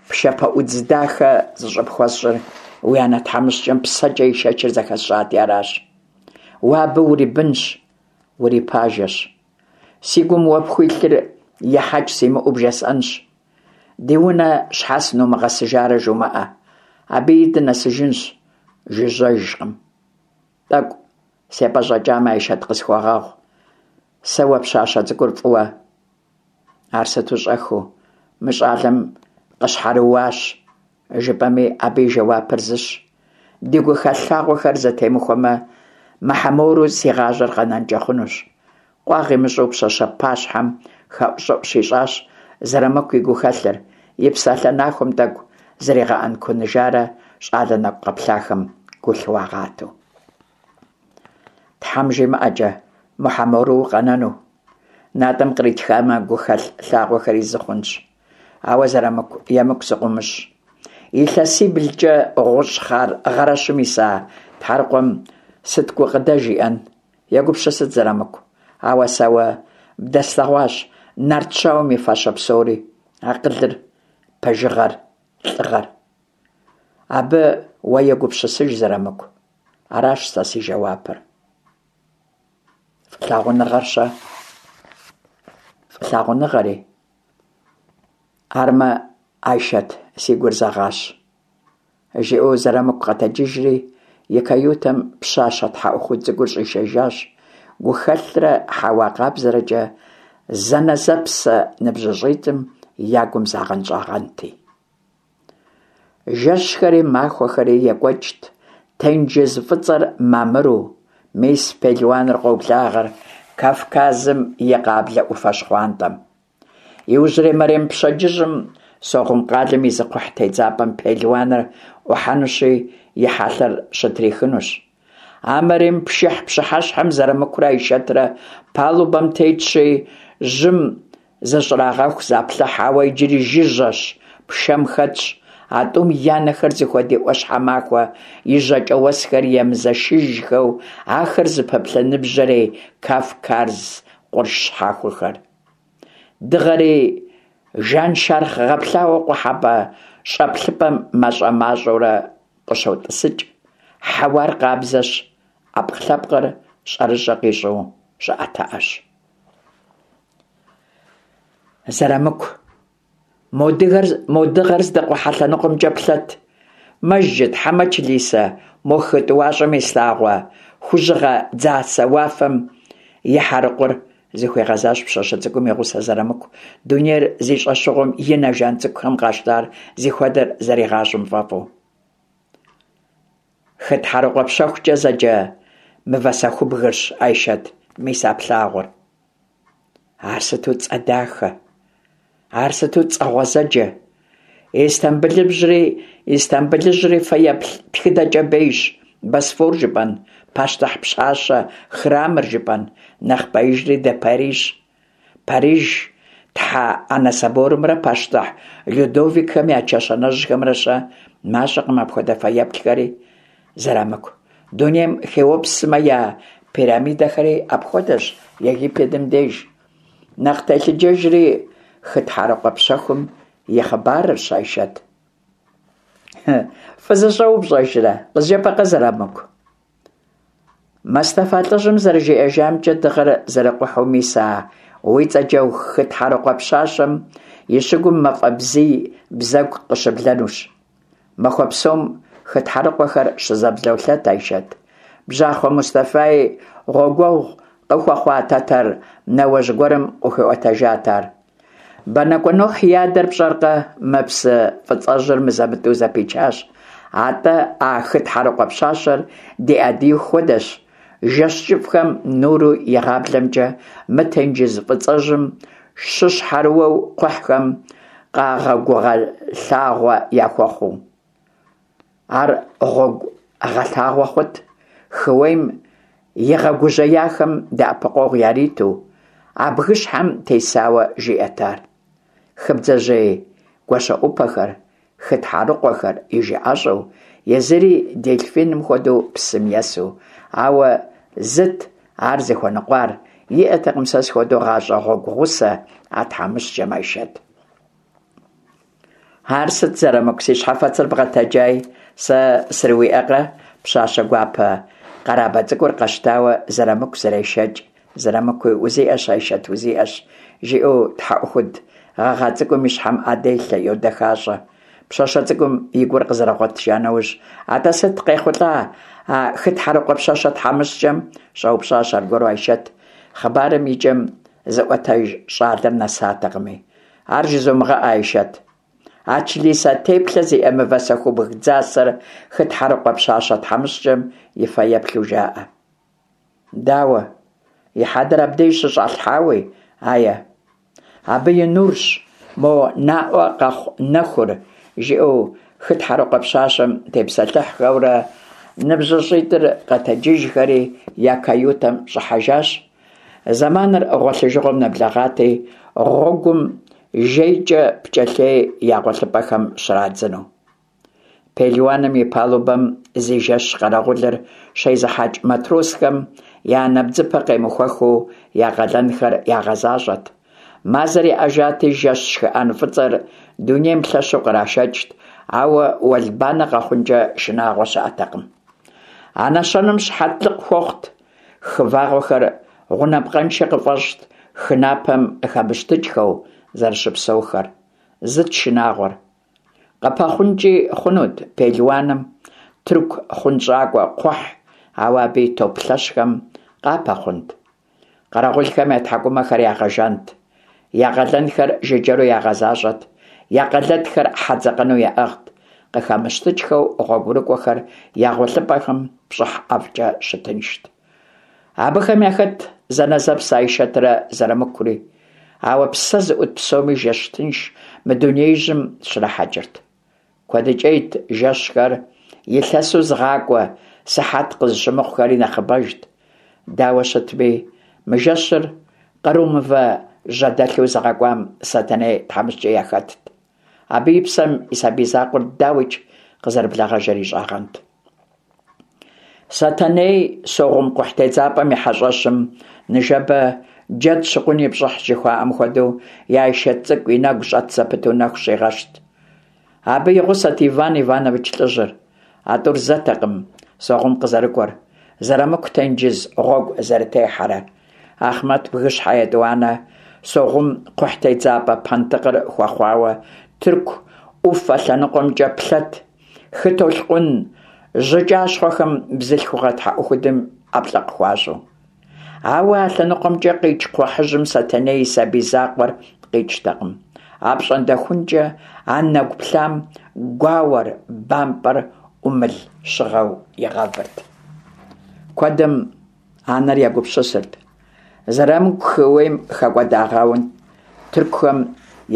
ПшапэӀудз дахэ зыщӀыпхуэсщӀыр уи анэ тхьэмыщкӀэм псэкӀэ ишэчыр зэхэсщӀати аращ. Уэ абы урибынщ, урипажэщ. Си гум уэ пхуилъыр ехьэкӀ симыӀэу бжесӀэнщ. Ди унэ щхьэ сынумыгъэсыжарэ жумыӀэ. Абыи дынэсыжынщ, жыжьэжкъым. ТӀэкӀу сепӀэщӀэкӀамэ, Айшэт, къысхуэгъэгъу. Сэ уэ пщащэ цӀыкӀур фӀыуэ. Ар сыту щӀэхыу мы щӀалэм къыщхьэрыуащ, жыпӀэми, абы и жэуапыр зыщ. Ди гухэлъ лъагъуэхэр зэтемыхуэмэ, мыхьэмору си гъащӀэр къэнэнкӀэ хъунущ. Къуагъ имыщӀэу пщащэ пащхьэм хэӀущӀыӀу щищӀащ Зэрамыку и гухэлъыр, и псалъэ нахуэм тӀэкӀу зригъэӀэнкуныжарэ щӀалэ нэкӀу къэплъахэм гу лъыуагъатэу. Тхьэм жимыӀэкӀэ мыхьэмору укъэнэну. НатӀэм къритхамэ, гухэлъ лъагъуэхэри зы хъунщ. Ауэ Зэрамыку, емыкӀу сыкъыумыщӀ. ИлъэсиблкӀэ гъущӀ хъар гъэрэщым иса тхьэрыкъуэм сыт гукъыдэж иӀэн? Егупсысыт, Зэрамыку. Ауэ сэ уэ бдэслъэгъуащ нарт щауэм и фащэ псори: акъылыр, пэжыгъэр, лӀыгъэр. Абы уэ егупсысыж, Зэрамыку. Аращ сэ си жэуапыр. ФӀылъагъуныгъэр-щэ? ФӀылъагъуныгъэри? Армэ, Айшэт, си гур зэгъащ. ЖиӀэу Зэрамыку къэтэджыжри, и каютэм пщащэ тхьэӀухуд цӀыкӀур щӀишэжащ, гухэлърэ хьэуа къабзэрэкӀэ зэнэзэпсэ ныбжьыщӀитӀым я гум загъэнщӀагъэнти. Жэщхэри махуэхэри екӀуэкӀт, тенджыз фӀыцӀэр мамыру. Мис пелуаныр къоблагъэр Кавказым и къаблэ Ӏуфэ щхъуантӀэм. Иужьрей мэрем пщэдджыжьым Сохъум къалэм и зы кхъухь тедзапӀэм пелуаныр Ӏухьэнущи, и хьэлъэр щытрихынущ. А мэрем пшыхь пщыхьэщхьэм Зэрамыкурэ Айшэтрэ палубэм тетщи, жьым зыщӀрагъэху заплъыхь, ауэ иджыри жыжьэщ, пшэм хэтщ. А тӀум я нэхэр зыхуэдий Ӏуащхьэмахуэ и жьакӀэ уэсхэр емызэшыжхэу ахэр зыпэплъэ ныбжьэрей Кавказ къурш щхьэхуэхэр. Дыгъэри жаншэрхъ гъэплъауэ къухьэпӀэ щӀэплъыпӀэм мащӀэ-мащӀэурэ къыщотӀысыкӀ. Хьэуар къабзэщ, Ӏэпкълъэпкъыр щӀэрыщӀэ къищӀу щӀыӀэтыӀэщ. Зэрамыку, мо дыгъэр, мо дыгъэр здэкъухьэ лъэныкъуэмкӀэ плъэт. Мэжджыт хьэмэ чылисэ мо хы тӀуащӀэм ислъагъуэ хужьыгъэ дзасэ уафэм и хьэрыкъур, зыхуигъэзащ пщащэ цӀыкӀум и гъусэ Зэрамыку, дунейр зи щӀэщыгъуэм и нэ жан цӀыкӀухэм къащтар зыхуэдэр зэригъащӀэм фӀэфӀу. Хы тхьэрыкъуэ пщэхукӀэ зэджэ мывэ сэхубгырщ, Айшэт, мис а плъагъур. Ар сыту цӀэ дахэ! Ар сыту цӀэ гъуэзэджэ! Истамбылыжьри, Истамбылыжьри фэеплъ тхыдэкӀэ бейщ, Босфор жыпӀэн, пащтыхь пщащэ храмыр жыпӀэн, нэхъ беижри де Париж. Париж Тхьэ Анэ соборымрэ пащтыхь Людовикхэм я чэщанэжьхэмрэ-щэ? МащӀэкъым апхуэдэ фэеплъхэри, Зэрамыку. Дунейм Хеопс сымэ я пирамидэхэри апхуэдэщ Египетым деж. Нэхъ телъыджэжри хы тхьэрыкъуэ пщэхум и хъыбарырщ, Айшэт. Фӏы зыщӏэ упщӏэжрэ? Къызжепӏэкъэ, Зэрамыку? Мэстэфа лӀыжьым зэрыжиӀэжамкӀэ, дыгъэр зэрыкъухьэу мис а уи цӀэкӀэ хы тхьэрыкъуэ пщащэм и щыгум мафӀэ бзий бзэгу къыщыблэнущ. Махуэ псом хы тхьэрыкъуэхэр щызэблолъэт, Айшэт. Бжьахъуэ Мустэфаи гъуэгуэгъу къыхуэхъуа тэтэр нэуэжь гуэрым къыхуиӏуэтэжат ар. Бэнакӏуэ Нухь и адэр пщӏэркъэ, мы псы фӏыцӏэжьыр мызэ-мытӏэу зэпичащ. Атӏэ а хы тхьэрыкъуэ пщащэр ди Ӏэдииху хуэдэщ, жэщ кӏыфӏхэм нуру игъаблэмкӏэ мы тенджыз фӏыцӏэжьым щыщхьэрыуэу кхъухьхэм къэгъуэгугъэлъагъуэ яхуэхъуу. Ар гъуэгу гъэлъагъуэ хъут, хыуейм игъэгужьеяхэм дэӏэпыкъуэгъу яриту, а бгыщхьэм тесауэ жиӏэт ар. Хы бдзэжьей гуащэӏупэхэр, хы тхьэрыкъуэхэр и жыӏэщӏэу, езыри дельфиным хуэдэу псым есу. Ауэ зыт ар зыхуэныкъуар, иӏэтэкъым сэ схуэдэу гъащӏэ гъуэгу гъусэ а тхьэмыщкӏэм, Айшэт. Ар сыт, Зэрамыку, си щхьэфэцыр бгъэтэджай, сэ срыуиӏэкъэ? Пщащэ гуапэ къэрабэ цӏыкӏур къэщтауэ Зэрамыку зэрешэкӏ. Зэрамыкуи узиӏэщ, Айшэт, узиӏэщ, жиӏэу тхьэӏухуд гъэгъа цӏыкӏум и щхьэм ӏэ делъэ, йодэхащӏэ. Пщащэ цӏыкӏум и гур къызэрыгъуэтыжа нэужь, атӏэ сыт къехъулӏа а хы тхьэрыкъуэ пщащэ тхьэмыщкӏэм? Щӏэупщӏащ аргуэру Айшэт. Хъыбарым и кӏэм зыӏуэтэж щӏалэр нэсатэкъыми. Ар жызумыгъэӏэ, Айшэт. А члисэ теплъэ зиӏэ мывэ сэхубг дзасэр хы тхьэрыкъуэ пщащэ тхьэмыщкӏэм и фэеплъу жаӏэ. Дауэ? И хьэдэр абдеж щыщӏалъхьауи, ае. Абы и нурщ мо наӏуэ къэхъу нэхур, жиӏэу хы тхьэрыкъуэ пщащэм тепсэлъыхьхэурэ ныбжьыщӏитӏыр къэтэджыжхэри я каютэм щӏыхьэжащ. Зэманыр гъуэлъыжыгъуэм нэблэгъати, гъуэгум жейкӏэ пкӏэлъей я гъуэлъыпӏэхэм щрадзыну. Пелуаным и палубэм зи жэщ къэрэгъулыр щезыхьэкӏ матросхэм я нэбдзыпэ къемыхуэхыу я къалэнхэр ягъэзащӏэт. Мазэр еӏэжати, жэщ шхыӏэн фӏыцӏэр дунейм лъэщу кърашэкӏт, ауэ уэлбанэ къэхъункӏэ шынагъуэ щыӏэтэкъым. А нэщэнэм щыхьэтлыкъ хуэхъут хы вагъуэхэр гъунапкъэншэ къыфӏэщӏт, хы напэм къыхэмыщтыкӏхэу зэрыщыпсэухэр. Зыт шынагъуэр. Къыпэхъункӏи хъунут пелуаным тырку хъунщӏакӏуэ кхъухь, ауэ абы и топ лъэщхэм къапэхъунт. Къэрэгъулхэм я тхьэкӏумэхэр ягъэжант, я къалэнхэр жыджэру ягъэзащӏэт, я къэлэтхэр хьэдзэкъэну яӏыгът, къыхэмыщтыкӏхэу гъуэгурыкӏуэхэр я гъуэлъыпӏэхэм пщӏыхь ӏэфӏкӏэ щытыншт. Абыхэм яхэтт зэнэзэпс Айшэтрэ Зэрамыкури, ауэ псэ зыӏут псоми жэщ тынш мы дунеижьым щрахьэкӏырт. Куэдыкӏейт жэщхэр илъэсу зыгъакӏуэ сыхьэт къызыщымыхъухэри нэхъыбэжт. Дауэ щытми, мы жэщыр къру мывэ жьэдэлъу зыгъэкӏуам Сэтэней тхьэмыщкӏэ яхэтт. Абы и псэм и сабий закъуэр дауикӏ къызэрыблэгъэжыр ищӏагъэнт. Сэтэней Согъум кхъухь тедзапӏэм и хьэщӏэщым ныжэбэ джэд щыкъун и пщӏыхь жыхуаӏэм хуэдэу и Айшэт цӏыкӏу и нэгу щӏэт зэпыту нэху щигъэщт. Абы и гъусэт Иван Иванович лӏыжьыр. А тӏур зэтэкъым Согъум къызэрыкӏуэр, Зэрамыку тенджыз гъуэгу зэрытехьэрэ. Ахъмэт бгыщхьэ етӏуанэ Согъум кхъухь тедзапӏэ пэнтӏыкъыр хуэхъуауэ тырку ӏуфэ лъэныкъуэмкӏэ плъэт. Хы толъкъун жьыкӏащхъуэхэм бзылъхугъэ тхьэӏухудым ӏэплӏэ къыхуащӏу. Ауэ а лъэныкъуэмкӏэ къикӏ кхъухьыжьым Сэтэней и сабий закъуэр къикӏтэкъым. Апщӏондэхункӏэ а нэгу плъам гуауэр, бампӏэр ӏумыл щыгъэу игъэвырт. Куэдым анэр егупсысырт. Зэрамыку хыуейм хэкӏуэдагъэун тыркухэм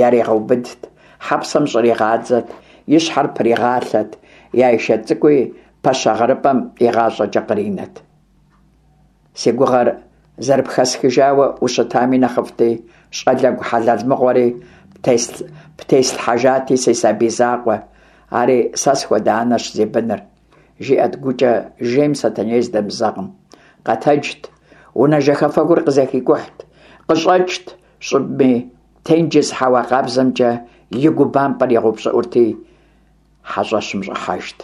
яригъэубыдт, хьэпсэм щӏригъадзэт, и щхьэр пригъалъэт, и Айшэт цӏыкӏуи пэщэ гъэрыпӏэм игъащӏэкӏэ къринэт. Си гугъэр зэрыпхэсхыжауэ ущытами нэхъыфӏти, щӏалэгу хьэлэл мыгъуэри птеслъхьэжати, си сабий закъуэ, ари сэ схуэдэ анэщ зи быныр, жиӏэт гукӏэ жейм Сэтэней здэмызэгъым. Къэтэджт, унэ жэхэфэгур къызэхикӏухьт, къыщӏэкӏт щӏыбми, тенджыз хьэуа къабзэмкӏэ и гу бампӏэр игъэупщӏыӏурти, хьэщӏэщым щӏыхьэжт.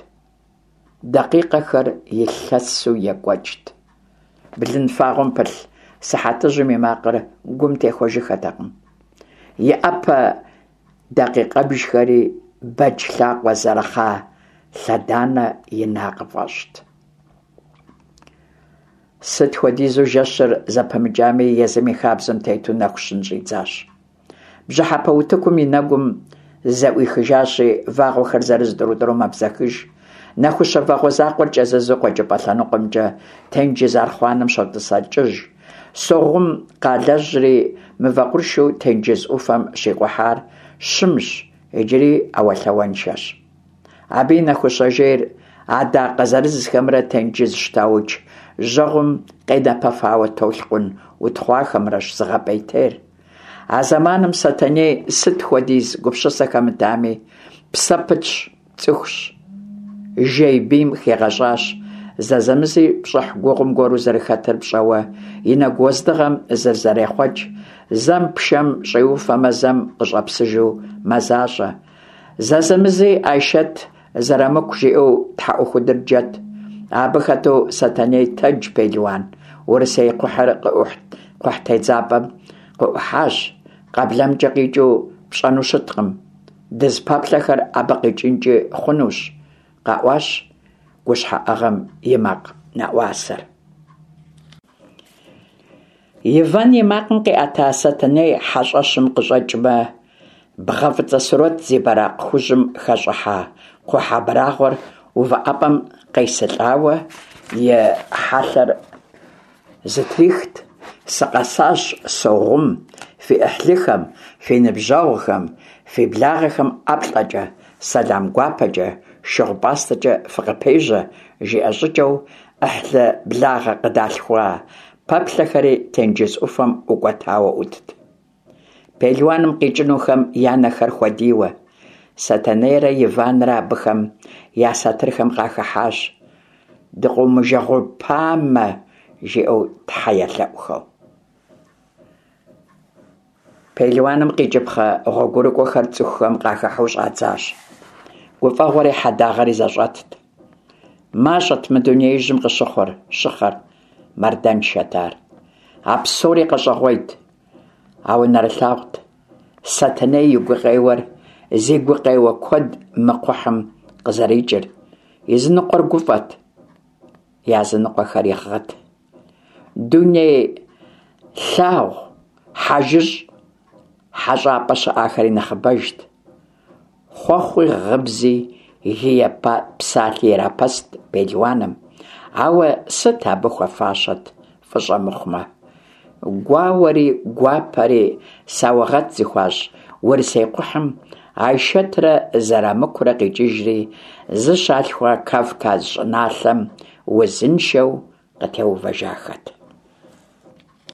Дакъикъэхэр илъэсу екӏуэкӏт. Блын фагъуэм пылъ сыхьэтыжьым и макъыр гум техуэжыххэтэкъым. И ӏэпэ дакъикъэбжхэри бэдж лъакъуэ зэрыхъа лъэданэ ина къыфӏэщӏт. Сыт хуэдизу жэщыр зэпымыкӏами, езым и хабзэм тету нэху щын щӏидзащ. Бжьыхьэпэ утыкум и нэгум зэӏуихыжащи, вагъуэхэр зырыз тӏурытӏуру мэбзэхыж. Нэхущэ вагъуэ закъуэр кӏэзызу къуэкӏыпӏэ лъэныкъуэмкӏэ тенджыз архъуанэм щотӏысэкӏыж. Согъум къалэжьри мывэ къуршу тенджыз ӏуфэм щикъухьар щымщ, иджыри ӏэуэлъауэншэщ. Абы и нэхущэ жейр адакъэ зырызхэмрэ тенджыз щтауч жьэгъум къенэпэфауэ толъкъун утхъуахэмрэщ зыгъэпӏейтейр. А зэманым Сэтэней сыт хуэдиз гупсысэ хэмытами, псэ пытщ, цӏыхущ. Жей бийм хигъэщӏащ, зэзэмызи пщӏыхь гугъум гуэру зэрыхэтыр пщӏэуэ, и нэгу уэздыгъэм зызэрехъуэкӏ, зэм пшэм щӏиуфэмэ, зэм къыщӏэпсыжу мэзащӏэ. Зэзэмызи Айшэт зэрамыку жиӏэу тхьэӏухудыр джэт. Абы хэту Сэтэней тэдж пелуан, урысей кхъухьыр кхъухьтедзапӏэм къыӏухьащ, къэблэмкӏэ къикӏыу пщӏэну щыткъым. Дызыпэплъэхэр абы къикӏынкӏи хъунущ, къэӏуащ гущхьэӏыгъым и макъ нэӏуасэр. Иван и макъым къиӏэта Сэтэней хьэщӏэщым къыщӏэкӏмэ, бгъэ фӏыцӏэ сурэт зи бэракъ хужьым хэщӏыхьа кхъухь абрагъуэр увыӏэпӏэм къесылӏауэ и хьэлъэр зытрихт. Сыкъэсащ, согъум, фи ӏыхьлыхэм, фи ныбжьэгъухэм, фи благъэхэм ӏэплӏэкӏэ, сэлам гуапэкӏэ, шыгъу-пӏастэкӏэ фыкъыпежьэ, жиӏэ щӏыкӏэу, ӏыхьлы благъэ къыдалъхуа пэплъэхэри тенджыз ӏуфэм ӏукӏуэтауэ ӏутт. Пелуаным къикӏынухэм я нэхэр хуэдийуэ, Сэтэнейрэ Иванрэ абыхэм я сатырхэм къахыхьащ, «Дыкъыумыжэгъупамэ!» жиӏэу тхьэ елъэӏухэу. Пелуаным къикӏыпхъэ гъуэгурыкӏуэхэр цӏыхухэм къахыхьэу щӏадзащ. Гуфӏэгъуэри хьэдагъэри зэщӏэтт. Мащӏэт мы дунеижьым къыщыхъур, щыхъэр, мардэншэт ар. А псори къэщӏэгъуейт, ауэ нэрылъагъут Сэтэней и гукъеуэр зи гукъеуэ куэд мы кхъухьым къызэрикӏыр. Языныкъуэр гуфӏэт, языныкъуэхэри гъыт. Дуней лъагъу хьэжыщӏ хьэщӏапӏэ щыӏахэри нэхъыбэжт. Хъуэхъуи, гъыбзи, гие псалъи ирапэст пелуаным, ауэ сыт абы хуэфащэт фӏыщӏэ мыхъумэ. Гуауэри гуапэри саугъэт зыхуащӏ урысей кхъухьым Айшэтрэ Зэрамыкурэ къикӏыжри, зыщалъхуа Кавказ щӏыналъэм узыншэу къытеувэжахэт.